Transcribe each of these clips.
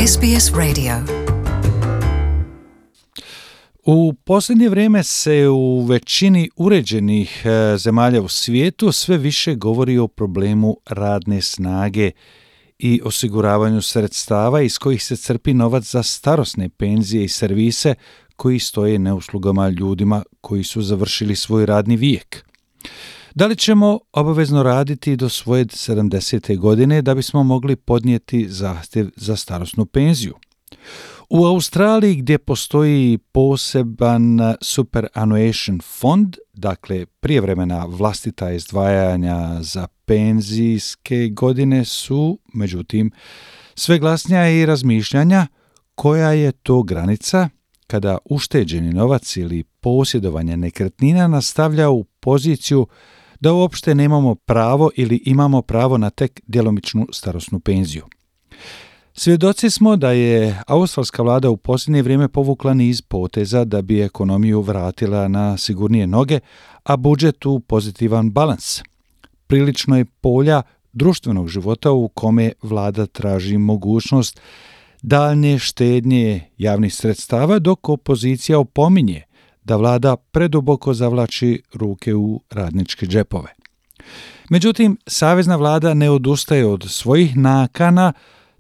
SBS Radio. U posljednje vrijeme se u većini uređenih zemalja u svijetu sve više govori o problemu radne snage i osiguravanju sredstava iz kojih se crpi novac za starosne penzije i servise koji stoje na uslugama ljudima koji su završili svoj radni vijek. Da li ćemo obavezno raditi do svoje 70. godine da bismo mogli podnijeti zahtjev za starosnu penziju? U Australiji, gdje postoji poseban superannuation fond, dakle prijevremena vlastita izdvajanja za penzijske godine, su, međutim, sve glasnija i razmišljanja koja je to granica kada ušteđeni novac ili posjedovanje nekretnina nastavlja u poziciju da uopšte nemamo pravo ili imamo pravo na tek djelomičnu starosnu penziju. Svjedoci smo da je australska vlada u posljednje vrijeme povukla niz poteza da bi ekonomiju vratila na sigurnije noge, a budžet u pozitivan balans. Prilično je polja društvenog života u kome vlada traži mogućnost daljnje štednje javnih sredstava, dok opozicija opominje da vlada preduboko zavlači ruke u radničke džepove. Međutim, savezna vlada ne odustaje od svojih nakana,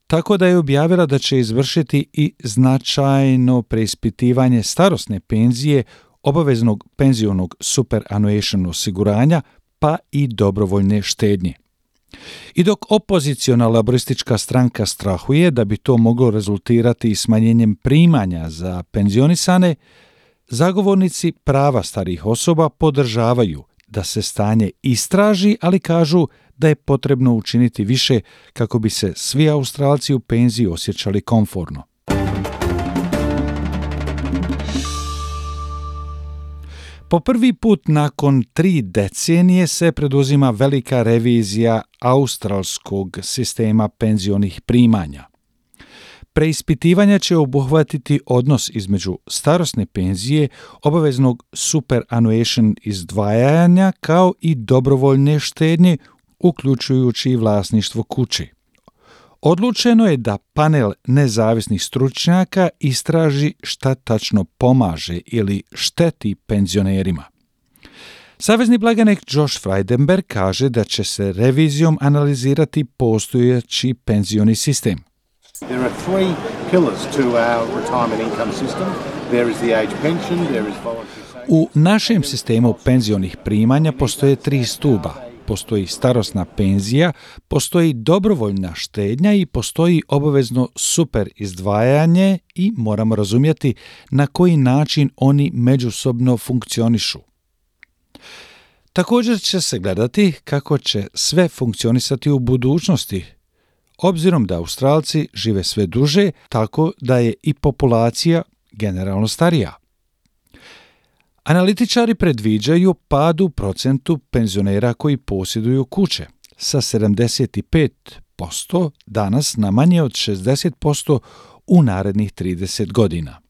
tako da je objavila da će izvršiti i značajno preispitivanje starosne penzije, obaveznog penzionog superannuation osiguranja, pa i dobrovoljne štednje. I dok opoziciona laboristička stranka strahuje da bi to moglo rezultirati smanjenjem primanja za penzionisane, zagovornici prava starijih osoba podržavaju da se stanje istraži, ali kažu da je potrebno učiniti više kako bi se svi Australci u penziji osjećali komforno. Po prvi put nakon 3 decenije se preduzima velika revizija australskog sistema penzionih primanja. Preispitivanja će obuhvatiti odnos između starosne penzije, obaveznog superannuation izdvajanja kao i dobrovoljne štednje, uključujući vlasništvo kuće. Odlučeno je da panel nezavisnih stručnjaka istraži šta tačno pomaže ili šteti penzionerima. Savezni blagajnik Josh Frydenberg kaže da će se revizijom analizirati postojeći penzioni sistem. There are 3 pillars to our retirement income system. There is the age pension, there is voluntary savings. U našem sistemu penzionih primanja postoje 3 stuba. Postoji starosna penzija, postoji dobrovoljna štednja i postoji obavezno super izdvajanje i moramo razumjeti na koji način oni međusobno funkcionišu. Također će se gledati kako će sve funkcionisati u budućnosti, obzirom da Australci žive sve duže, tako da je i populacija generalno starija. Analitičari predviđaju pad u procentu penzionera koji posjeduju kuće sa 75% danas na manje od 60% u narednih 30 godina.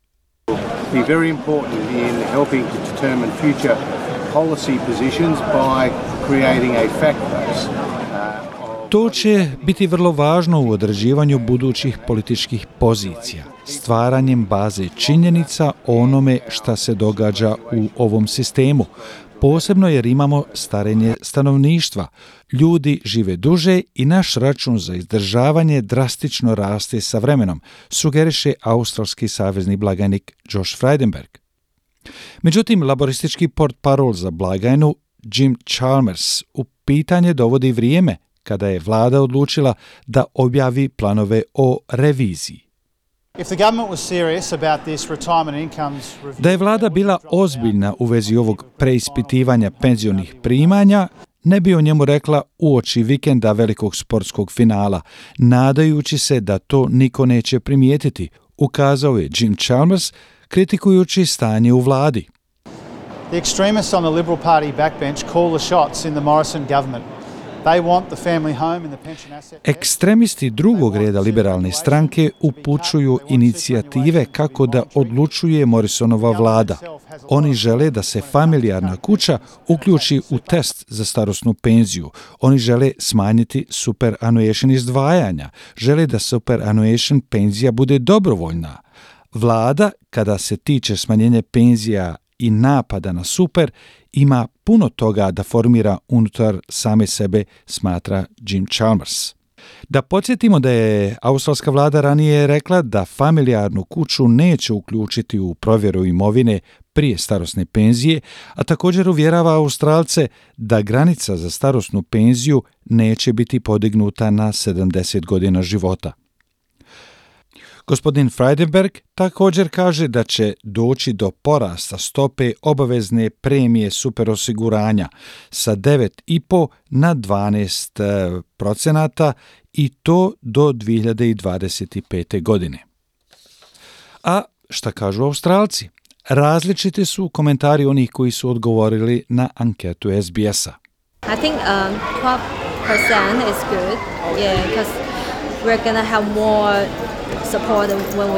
Be very important in helping to determine future policy positions by creating a fact base. To će biti vrlo važno u određivanju budućih političkih pozicija, stvaranjem baze činjenica o onome šta se događa u ovom sistemu, posebno jer imamo starenje stanovništva, ljudi žive duže i naš račun za izdržavanje drastično raste sa vremenom, sugeriše australski savezni blagajnik Josh Frydenberg. Međutim, laboristički portparol za blagajnu Jim Chalmers u pitanje dovodi vrijeme kada je vlada odlučila da objavi planove o reviziji. Da je vlada bila ozbiljna u vezi ovog preispitivanja penzionih primanja, ne bi o njemu rekla uoči vikenda velikog sportskog finala, nadajući se da to niko neće primijetiti, ukazao je Jim Chalmers, kritikujući stanje u vladi. The extremists on the Liberal Party backbench call the shots in the Morrison government. Ekstremisti drugog reda liberalne stranke upućuju inicijative kako da odlučuje Morrisonova vlada. Oni žele da se familijarna kuća uključi u test za starosnu penziju. Oni žele smanjiti superannuation izdvajanja. Žele da superannuation penzija bude dobrovoljna. Vlada, kada se tiče smanjenja penzija i napada na super, ima puno toga da formira unutar same sebe, smatra Jim Chalmers. Da podsjetimo da je australska vlada ranije rekla da familijarnu kuću neće uključiti u provjeru imovine prije starosne penzije, a također uvjerava Australce da granica za starosnu penziju neće biti podignuta na 70 godina života. Gospodin Frydenberg također kaže da će doći do porasta stope obavezne premije superosiguranja sa 9,5 na 12% i to do 2025. godine. A šta kažu Australci? Različiti su komentari onih koji su odgovorili na anketu SBS-a. I think 12% is good, because we're going to have more support when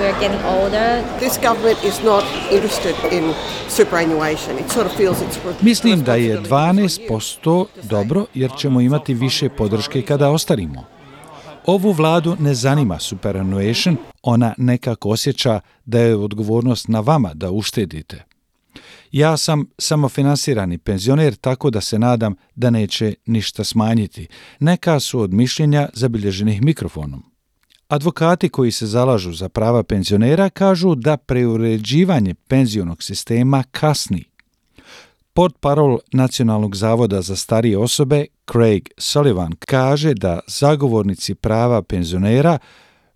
we're getting older. This government is not interested in superannuation. It sort of feels it's... Mislim da je 12% dobro jer ćemo imati više podrške kada ostarimo. Ovu vladu ne zanima superannuation, ona nekako osjeća da je odgovornost na vama da uštedite. Ja sam samofinansirani penzioner, tako da se nadam da neće ništa smanjiti. Neka su od mišljenja zabilježenih mikrofonom. Advokati koji se zalažu za prava penzionera kažu da preuređivanje penzionog sistema kasni. Portparol Nacionalnog zavoda za starije osobe Craig Sullivan kaže da zagovornici prava penzionera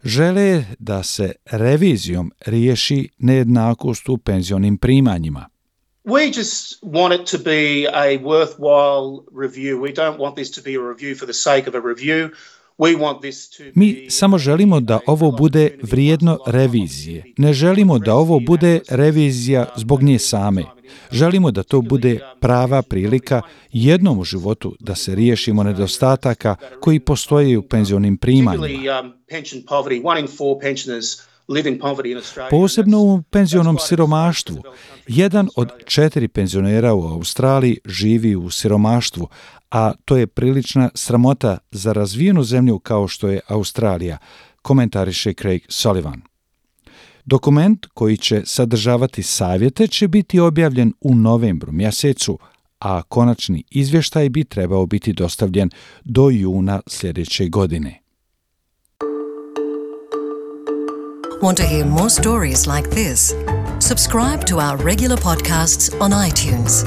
žele da se revizijom riješi nejednakost u penzionim primanjima. We just want it to be a worthwhile review. We don't want this to be a review for the sake of a review. Mi samo želimo da ovo bude vrijedno revizije. Ne želimo da ovo bude revizija zbog nje same. Želimo da to bude prava prilika jednom u životu da se riješimo nedostataka koji postoje u penzionim primanjima. Posebno u penzionom siromaštvu. 1 od 4 penzionera u Australiji živi u siromaštvu, a to je prilična sramota za razvijenu zemlju kao što je Australija, komentariše Craig Sullivan. Dokument koji će sadržavati savjete će biti objavljen u novembru mjesecu, a konačni izvještaj bi trebao biti dostavljen do juna sljedeće godine. Want to hear more stories like this? Subscribe to our regular podcasts on iTunes.